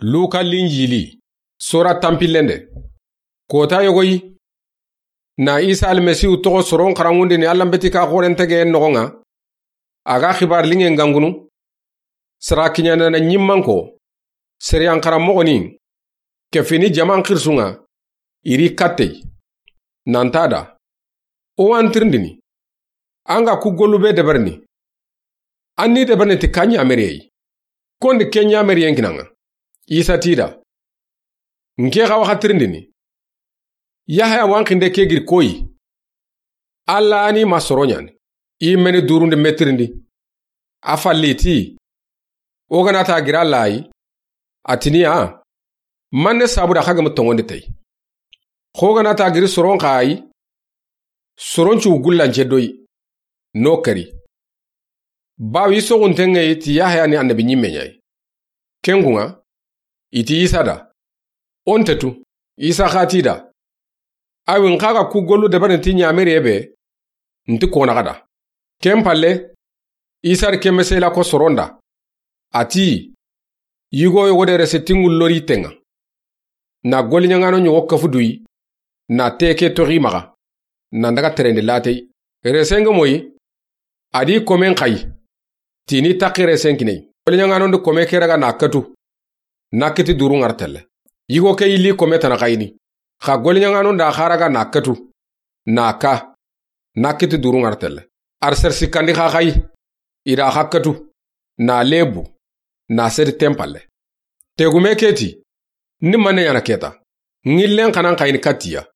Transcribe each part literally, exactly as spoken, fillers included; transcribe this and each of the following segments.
Luka Linjili, sora tanpillende. Kota yogoyi, na Isa Almasihu toxo soron xaranŋundini Alla n beti ka xoren tegeyen noxon ŋa, a ga xibaari linŋen gangunu, sara kiɲandana ɲimmanko, seriyan xaranmoxoni, kefini jaman xirisun ŋa, i ri kattey, nanta da, o wa an tirindini, an ga ku gollu be deberini, an ni deberini ti ka ɲameriyeyi, kondi ke ɲameriyen kinaŋa. Isa ti da, nke xa wa xa tirindini, Yahaya wa an xinde ke giri koyi, Alla ni ma soro ɲaani, i meni durundi metirindi. A falli ti, o ga na ta giri Alla yi, a tini ya, manne sabu da xa gemu tonŋondi tey. Xo ga na ta giri soron xa yi, soron cu gullance doyi, no kari. Bawo i soxunten ŋa yi ti Yahaya ni annabi ɲimme ɲa yi. Ken kun ŋa, i ti Isa da, o nte tu. Isa xa ti da, awi n xa ga ku gollu deberini ti ɲameriye be, nti kona xa da. Ken palle, Isa ri ke mesela ko soron da. A ti, yigo yogo de rese tinŋu lori tenŋa. Na goliɲaŋano ɲogo kafu duyi, na teke toxi maxa, na n daga terendi latey. Resen ga moyi, a di komen xayi, tini taxi resen kiney. Goliɲaŋano ndi kome ke raga na katu, na kiti duru ŋar telle. Yigo ke yilli kome tana xayini. Xa goliɲaŋano nda xa raga na katu, na ka, na kiti duru ŋar telle. Ar ser sikkandi xa xayi, i da xa katu, na lebu, na sedi ten palle. Tegume ke ti, ni manne ɲaana keta, ŋillen xanan xayini kattiya.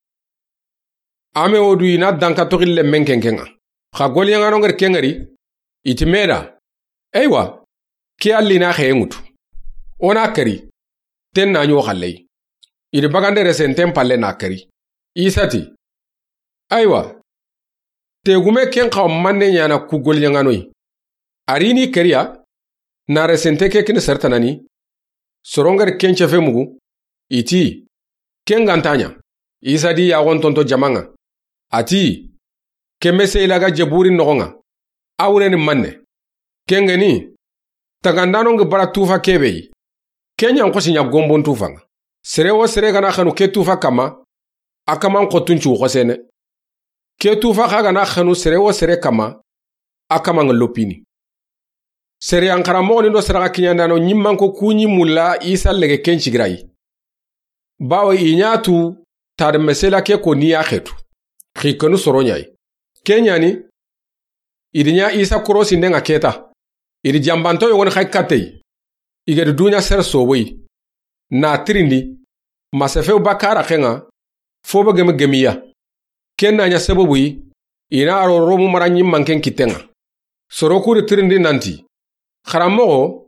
Ame wo du i na danka toxi lemmen kenken ŋa. Xa goliɲaŋano ŋari ken ŋari, i ti me da, eywa, ke alli na xeye ŋutu. O na kari, ten na ɲo xalley. I di bagande resen ten palle na kari. Isa ti, aywa, tegume ken xawa manne ɲaana ku goliɲaŋanoyi. A ri ni kariya, na resente ke kini sertanani, soron ŋari ken cefe mugu, i ti, ken ga nta ɲa. Isa di yaxon tonto jaman ŋa. A ti, ke mesela ga jeburi noxon ŋa, a wureni manne. Ken ga ni, tagandano ŋa bara tufa ke be yi. Ken ɲa n xosi ɲa gombon tufa ŋa. Sere wo sere ga na xanu ke tufa kanma, a kaman xottun cu xosene. Ke tufa xa ga na xanu sere wo sere kanma, a kaman ŋa lopini. Seriyan xaranmoxoni do sadaxa kiɲandano ɲimmanko ku ɲi mulla Isa lege ken cigirayi. Bawo i ɲa tu tadi mesela ke ko ni ya xetu. Xikenu soro ɲa yi. Ke ɲaani, i di ɲa Isa korosinden ŋa keta. I di jambanto yogoni xay kattey. I ga di duɲa sere soboyi, na tirindi, ma sefew bakka raxen ŋa, fo be gemi gemiya. Ken na ɲa sababu yi, i na ro Romu mara ɲimmanken kitten ŋa. Soro ku di tirindi nanti, xaranmoxo,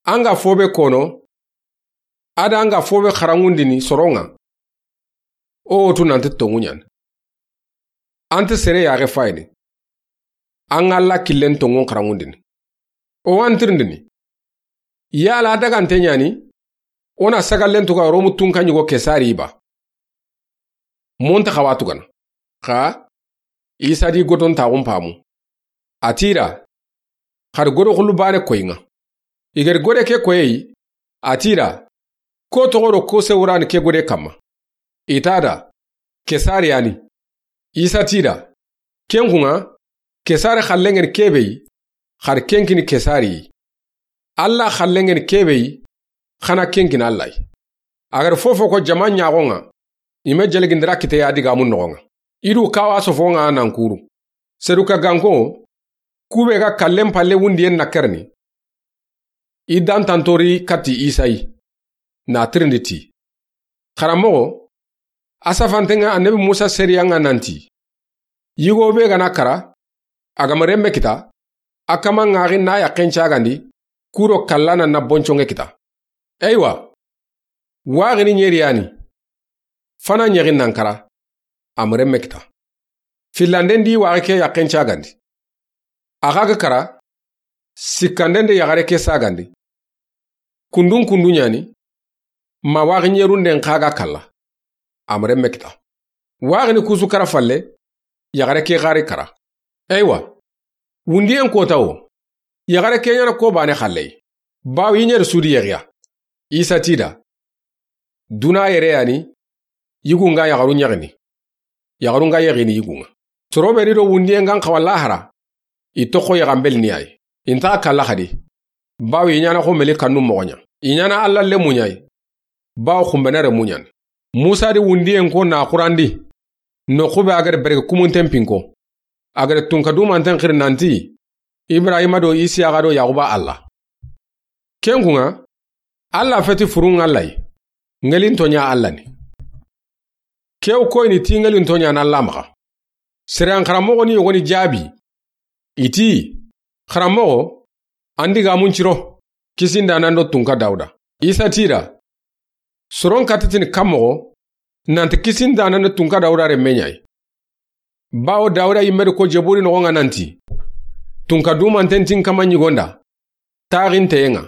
an ga fo be kono, a da an ga fo be xaranŋundini soron ŋa, o wo tu nanti tonŋu ɲaani. An ti sere yaxe fayini. An ga Alla killen tonŋun xaranŋundini. O wa an tirindini. Yala a dagante ɲaani, o na sagallen tuga Romu tunka ɲigo Kesari ba? Monta xawa tugana. Xa, Isa di godon taxun pamu. A ti da, xa di godo xulu bane koyi ŋa. I ga di gode ke koyeyi, a ti da, ko toxo do ko sewurani ke gode kanma? I ta da, Kesari yani. Isa ti da, ken kun ŋa, Kesari xallen ŋeni ke be yi, xa di ken kini Kesari yi. Alla xallen ŋeni ke be yi, xa na ken kini Alla yi. A ga di fofo ko jaman ɲaxon ŋa, i me jeligindira kite ya digamun noxon ŋa. I du kawa sofon ŋa nan kuru. Seduka ganko, ku be ga kallen palle wundiyen na kerni. I dantantori katti Isa yi, na tirindi ti, xaranmoxo, a safanten ŋa annabi Musa seriyan ŋa nanti, yigo be ga na kara, a ga ma renme kita, a kaman ŋaxi na yaxen cagandi, ku do kallana na bonconŋe kita. Eywa, waxini ɲeri yani, fana ɲexin nan kara, a ma renme kita. Fillanden di waxi ke yaxen cagandi. A xa ga kara, sikkanden de yaxare ke sagandi. Kundun kundu ɲaani, ma waxi ɲerunden xa ga kalla, a ma renme kita. Waxini kusu kara falle, yaxare ke xari kara. Eywa, wundiyen kota wo, yaxare ke ɲaana ko bane xalley, bawo i ɲeri sudi yexiya. Isa ti i da, duna yere ya ni, yigun ga yaxarun yaxini, yaxarun ga yaxini yigun ŋa. Soro be ni do wundiyen ga n xawa lahara, i toxo yaxanbeli ni ya yi. I nta xa kalla xadi, bawo i ɲaana xo meli kannu moxo ɲa. I ɲaana Alla lenmu ɲa yi, bawo xunbene renmu ɲa ni. Musa di wundiyen ko na xurandi, noxu be a ga da bereke kumunten pinko, a ga da tunka dumanten xiri nanti, Ibrahima do Isiyaxa do Yaxuba Alla. Ken kun ŋa, Alla feti furun Alla yi, ŋelinto ɲa Alla ni. Ke wo koyini ti ŋelinto ɲa na Alla maxa. Sariyan xaranmoxo ni yogoni jaabi, i ti, Xaranmoxo, an digaamun ciro, kisindaana do tunka Dawuda. Isa ti i da, soron katitini kan moxo, nanti kisindaana do tunka Dawuda renme ɲa yi. Bawo Dawuda yinme di ko Jeburi noxon ŋa nanti, tunka dumanten ti n kama ɲigon da, taxinteyen ŋa,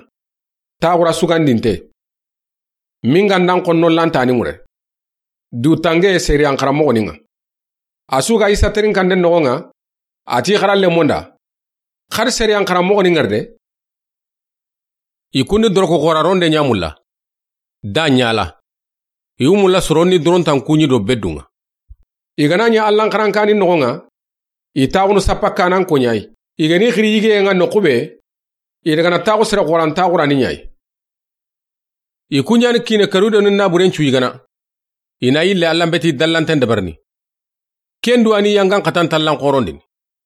taxura sugandinte. Min ga nda n xonno lantani ŋure. Du tange sariyan xaranmoxo ni ŋa. A su ga Isa terinkanten noxon ŋa, a ti xara lenmon da, xari sariyan xaranmoxo ni ŋari de. I kundi doroko xoraronde ɲa mulla, da ɲala. I wu mulla soronni dorontan kuɲi do beddun ŋa. I ga na ɲa Allan xarankani noxon ŋa, i taxunu sappa kanan ko ɲa yi. I ga ni xiri yigeyen ŋa noxu be, i daga na taxu sere xoran taxurani ɲa yi. I ku ɲa ni kiine Kerude ni naburen cu yigana. I na yille Allan beti dallanten dabarini. Ken du a ni yangan xatan tallan xorondini.